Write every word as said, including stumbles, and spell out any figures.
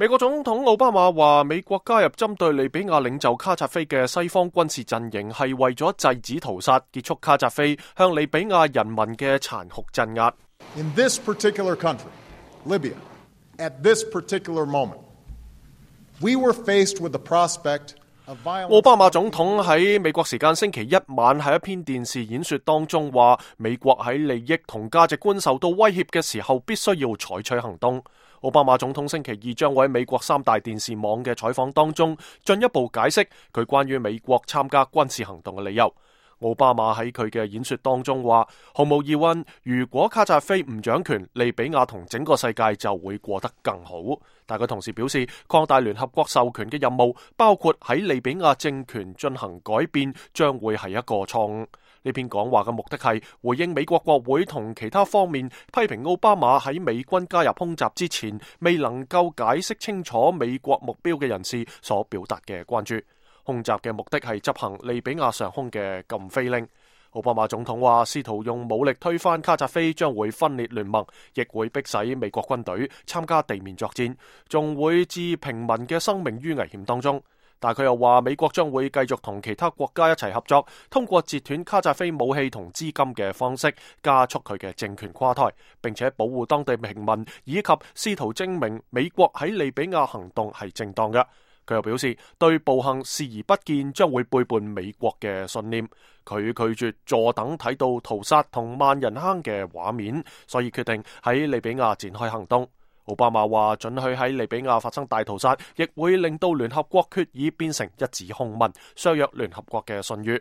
美國總統奧巴馬話，美國加入針對利比亞領袖卡扎菲嘅西方軍事陣營係為咗制止屠殺，結束卡扎菲向利比亞人民嘅殘酷鎮壓。In this particular country, Libya, at this particular moment, we were faced with the prospect of violence. 奧巴馬總統喺美國時間星期一晚喺一篇電視演說當中話，美國喺利益同價值觀受到威脅嘅時候，必須要採取行動。奧巴馬總統星期二將會喺美國三大電視網嘅採訪當中進一步解釋佢關於美國參加軍事行動嘅理由。奧巴馬喺佢嘅演說當中話，毫無疑問，如果卡扎菲唔掌權，利比亞同整個世界就會過得更好。但佢同時表示，擴大聯合國授權嘅任務，包括喺利比亞政權進行改變，將會係一個錯誤。呢篇講話嘅目的係回應美國國會同其他方面批評奧巴馬喺美軍加入空襲之前未能夠解釋清楚美國目標嘅人士所表達嘅關注。空襲嘅目的係執行利比亞上空嘅禁飛令。奧巴馬總統話，試圖用武力推翻卡扎菲將會分裂聯盟，亦會迫使美國軍隊參加地面作戰，仲會置平民嘅生命於危險當中。但佢又話，美國將會繼續同其他國家一齊合作，通過截斷卡扎菲武器同資金嘅方式，加速佢嘅政權垮台，並且保護當地平民，以及試圖證明美國喺利比亞行動係正當嘅。佢又表示，對暴行視而不見將會背叛美國嘅信念。佢拒絕坐等睇到屠殺同萬人坑嘅畫面，所以決定喺利比亞展開行動。奧巴馬話，准許喺利比亞發生大屠殺，亦會令到聯合國決議變成一紙空文，削弱聯合國嘅信譽。